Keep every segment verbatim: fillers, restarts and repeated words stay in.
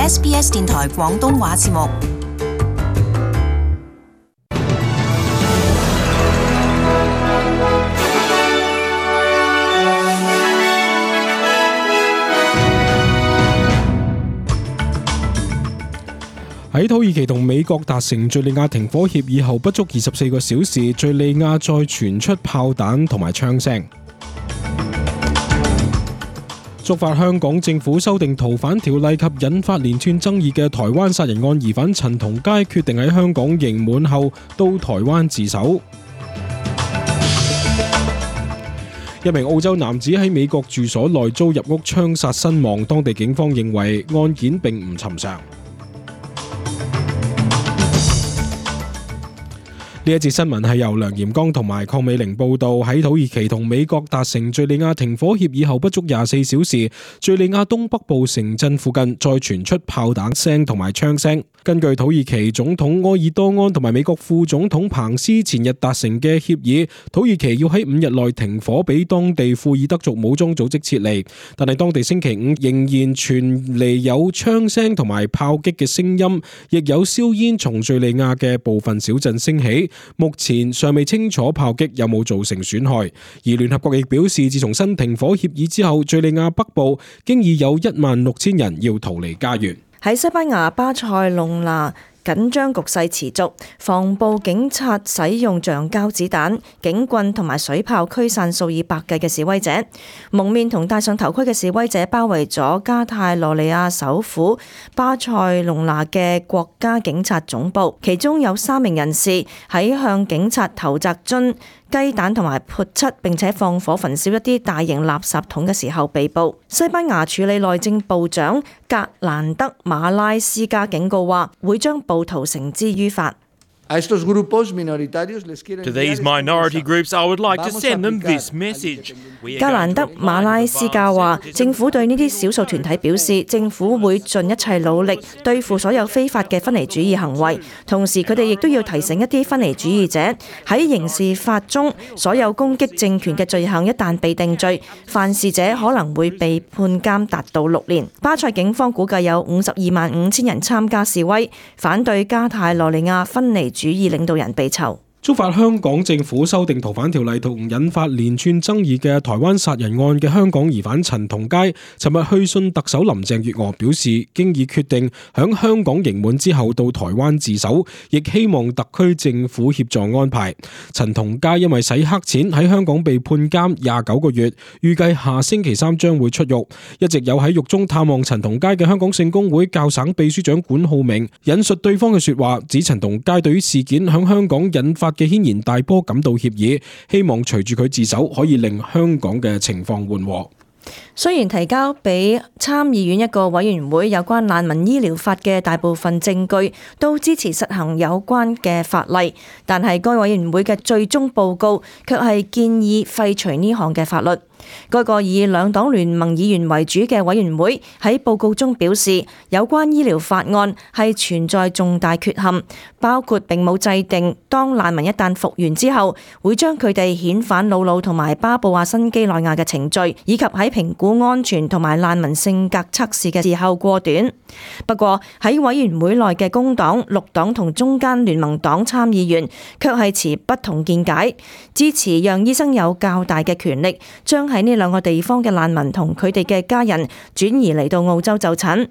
S B S 電台廣東話節目。喺土耳其同美國達成敘利亞停火協議後不足二十四個小時，敘利亞再傳出炮彈同埋槍聲，觸發香港政府修訂逃犯條例及引發連串爭議嘅台灣殺人案疑犯陳同佳決定喺香港刑滿後到台灣自首。一名澳洲男子喺美國住所內遭入屋槍殺身亡，當地警方認為案件並唔尋常。呢一節新聞係由梁炎剛同埋鄺美玲報道。喺土耳其同美國達成敘利亞停火協議後不足廿四小時，敘利亞東北部城鎮附近再傳出炮彈聲同埋槍聲。根據土耳其總統埃爾多安同埋美國副總統彭斯前日達成嘅協議，土耳其要喺五日內停火，俾當地庫爾德族武裝組織撤離。但係當地星期五仍然傳嚟有槍聲同埋炮擊嘅聲音，亦有硝煙從敘利亞嘅部分小鎮升起。目前尚未清楚炮擊有冇造成損害，而聯合國亦表示，自從新停火協議之後，敘利亞北部經已有一萬六千人要逃離家園。喺西班牙巴塞隆拿，緊張局勢持續，防暴警察使用橡膠子彈、警棍同埋水炮驅散數以百計嘅示威者。蒙面同戴上頭盔嘅示威者包圍咗加泰羅尼亞首府巴塞隆拿嘅國家警察總部，其中有三名人士喺向警察投擲樽、雞蛋同埋潑漆，並且放火焚燒一啲大型垃圾桶嘅時候被捕。西班牙處理內政部長格蘭德馬拉斯加警告話，會將暴徒繩之於法。To these minority groups, I would like to send them this message. 格蘭德馬拉斯加話，政府對呢啲少數團體表示，政府會盡一切努力對付所有非法嘅分離主義行為。同時，佢哋亦都要提醒一啲分離主義者，喺刑事法中，所有攻擊政權嘅罪行一旦被定罪，犯事者可能會被判監達到六年。巴塞警方估計有五十二萬五千人參加示威，反對加泰羅尼亞分離主義領導人被囚。觸發香港政府修訂逃犯條例同引發連串爭議嘅台灣殺人案嘅香港疑犯陳同佳，尋日去信特首林鄭月娥，表示經已決定響香港刑滿之後到台灣自首，亦希望特區政府協助安排。陳同佳因為洗黑錢喺香港被判監廿九個月，預計下星期三將會出獄。一直有喺獄中探望陳同佳嘅香港聖公會教省秘書長管浩明引述對方嘅說話，指陳同佳對於事件響香港引發嘅軒然大波感到歉意，希望隨住佢自首可以令香港嘅情況緩和。雖然提交俾參議院一個委員會有關難民醫療法嘅大部分證據都支持實行有關嘅法例，但係該委員會嘅最終報告卻係建議廢除呢項嘅法律。該個以兩黨聯盟議員為主嘅委員會喺報告中表示，有關醫療法案係存在重大缺陷，包括並冇制定當難民一旦復原之後會將佢哋遣返魯魯同埋巴布亞新幾內亞嘅程序，以及喺評估安全同埋難民性格測試嘅時候過短。不過喺委員會內嘅工黨、綠黨同中間聯盟黨參議員卻係持不同見解，支持讓醫生有較大嘅權力將喺呢兩個地方嘅難民同佢哋嘅家人轉移嚟到澳洲就診。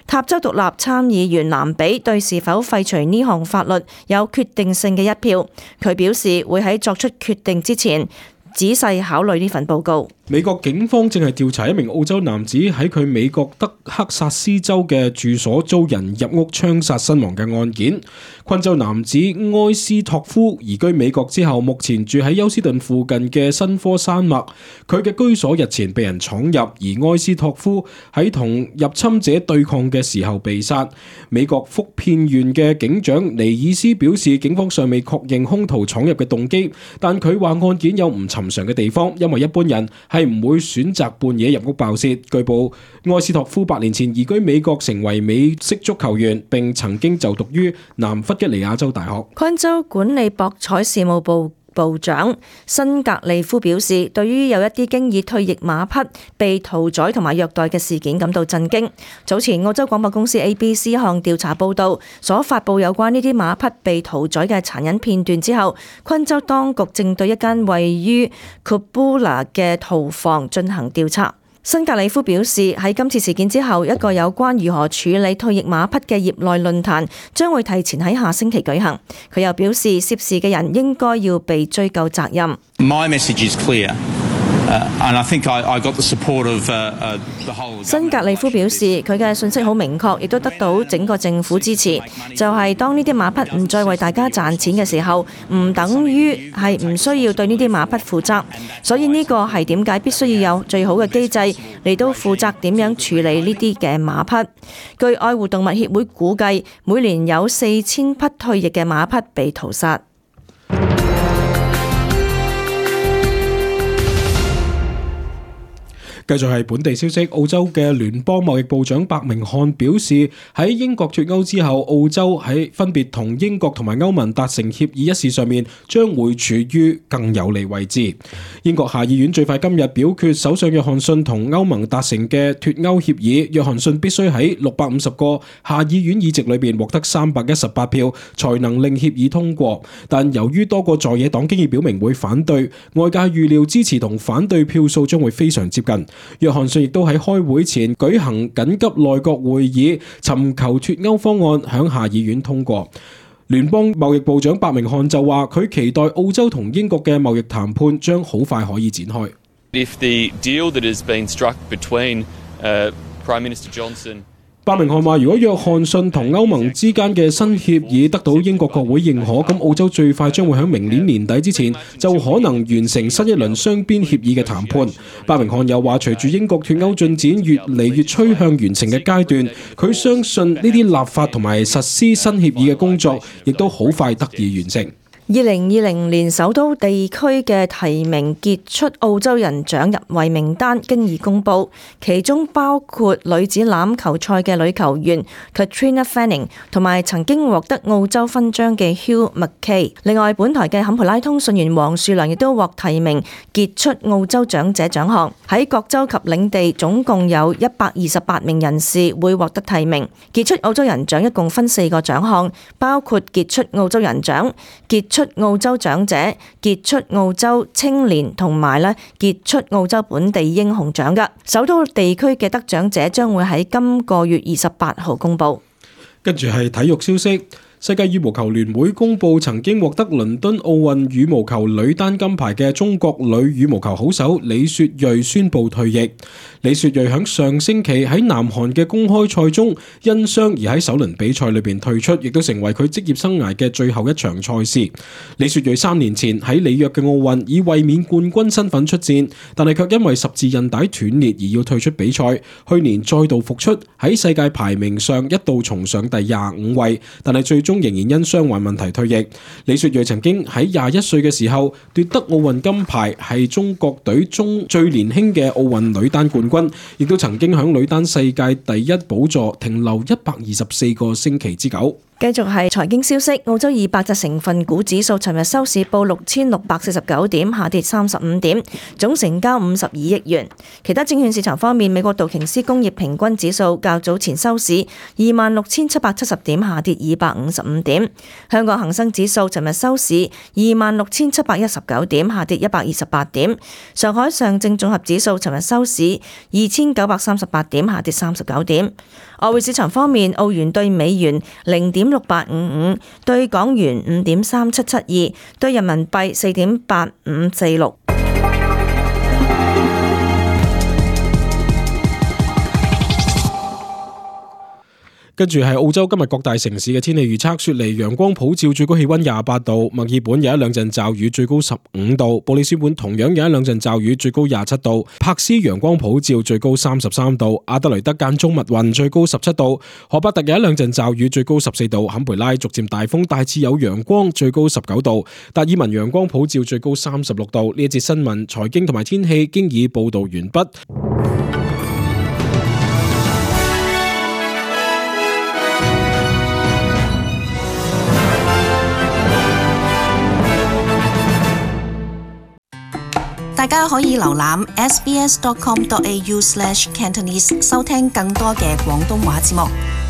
塔州獨立參議員藍比對是否廢除呢項法律有決定性嘅一票，佢表示會喺作出決定之前仔細考慮呢份報告。美國警方正係調查一名澳洲男子喺佢美國德克薩斯州嘅住所遭人入屋槍殺身亡嘅案件。昆州男子埃斯托夫移居美國之後，目前住喺休斯頓附近嘅新科山脈。佢嘅居所日前被人闖入，而埃斯托夫喺同入侵者對抗嘅時候被殺。美國福片縣嘅警長尼爾斯表示，警方尚未確認兇徒闖入嘅動機，但佢話案件有唔尋常嘅地方，因為一般人係唔會選擇半夜入屋爆竊。據報，埃斯托夫八年前移居美國，成為美式足球員，並曾經就讀於南弗吉尼亞州大學。昆州管理博彩事務部部長辛格利夫表示，對於有一啲經已退役馬匹被屠宰同埋虐待嘅事件感到震驚。早前澳洲廣播公司 A B C 一項調查報導所發布有關呢啲馬匹被屠宰嘅殘忍片段之後，昆州當局正對一間位於 Kubula 嘅屠房進行調查。辛格里夫表示，喺今次事件之後，一個有關如何處理退役馬匹嘅業內論壇將會提前喺下星期舉行。佢又表示，涉事嘅人應該要被追究責任。My message is clear. Uh, and I think I, I got the support of uh, uh, the whole. 辛格利夫表示，佢嘅信息好明確，亦都得到整個政府支持。就係、是、當呢啲馬匹唔再為大家賺錢嘅時候，唔等於係唔需要對呢啲馬匹負責。所以呢個係點解必須要有最好嘅機制嚟到負責點樣處理呢啲嘅馬匹。據愛護動物協會估計，每年有四千匹退役嘅馬匹被屠殺。繼續係本地消息，澳洲嘅聯邦貿易部長白明漢表示，喺英國脱歐之後，澳洲喺分別同英國同埋歐盟達成協議一事上面，將會處於更有利位置。英國下議院最快今日表決首相約翰遜同歐盟達成嘅脱歐協議，約翰遜必須喺六百五十個下議院議席裏邊獲得三百一十八票，才能令協議通過。但由於多個在野黨經已表明會反對，外界預料支持同反對票數將會非常接近。約翰遜亦都喺開會前舉行緊急內閣會議，尋求脱歐方案響下議院通過。聯邦貿易部長白明漢就話，佢期待澳洲同英國嘅貿易談判將好快可以展開。If the deal that has been struck between, uh, Prime Minister Johnson白明漢話，如果約翰遜同歐盟之間嘅新協議得到英國國會認可，咁澳洲最快將會喺明年年底之前就可能完成新一輪雙邊協議嘅談判。白明漢又話，隨住英國脱歐進展越嚟越趨向完成嘅階段，佢相信呢啲立法同埋實施新協議嘅工作亦都好快得以完成。二零二零年首都地區嘅提名傑出澳洲人獎入圍名單經已公佈，其中包括女子欖球賽嘅女球員 Katrina Fanning 同埋曾經獲得澳洲勳章嘅 Hugh McKay。另外，本台嘅坎培拉通訊員黃樹良亦都獲提名傑出澳洲長者獎項。喺各州及領地總共有一百二十八名人士會獲得提名。傑出澳洲人獎一共分四個獎項，包括傑出澳洲人獎、傑出澳洲長者、傑出澳洲青年同埋咧傑出澳洲本地英雄獎嘅。首都地區嘅得獎者將會喺今個月二十八號公佈。跟住係體育消息。世界羽毛球聯會公佈曾經獲得倫敦奧運羽毛球女單金牌嘅中國女羽毛球好手李雪芮宣布退役。李雪芮喺上星期喺南韓嘅公開賽中因傷而喺首輪比賽裏邊退出，亦都成為佢職業生涯嘅最後一場賽事。李雪芮三年前喺里約嘅奧運以衛冕冠軍身份出戰，但係卻因為十字韌帶斷裂而要退出比賽。去年再度復出，喺世界排名上一度重上第廿五位，但係最終仍然因傷患問題退役。李雪芮曾經喺廿一歲嘅時候奪得奧運金牌，係中國隊中最年輕嘅奧運女單冠軍，亦都曾經響女單世界第一寶座停留一百二十四個星期之久。繼續係財經消息，澳洲二百隻成分股指數尋日收市報六千六百四十九點，下跌三十五點，總成交五十二億元。其他證券市場方面，美國道瓊斯工業平均指數較早前收市二萬六千七百七十點，下跌二百五十五點。香港恒生指數尋日收市二萬六千七百一十九點，下跌一百二十八點。上海上證綜合指數尋日收市二千九百三十八點，下跌三十九點。外匯市場方面，澳元對美元零點六八五五，對港元五點三七七二，對人民幣四點八五四六。跟住係澳洲今日各大城市嘅天氣預測：雪梨陽光普照，最高氣溫廿八度；墨爾本有一兩陣驟雨，最高十五度；布里斯本同樣有一兩陣驟雨，最高廿七度；柏斯陽光普照，最高三十三度；阿德雷德間中密雲，最高十七度；荷伯特有一兩陣驟雨，最高十四度；坎培拉逐漸大風，大致有陽光，最高十九度；達爾文陽光普照，最高三十六度。呢一節新聞、財經同埋天氣經已報道完畢。家可以瀏覽 s b s dot com dot a u slash cantonese 收聽更多嘅廣東話節目。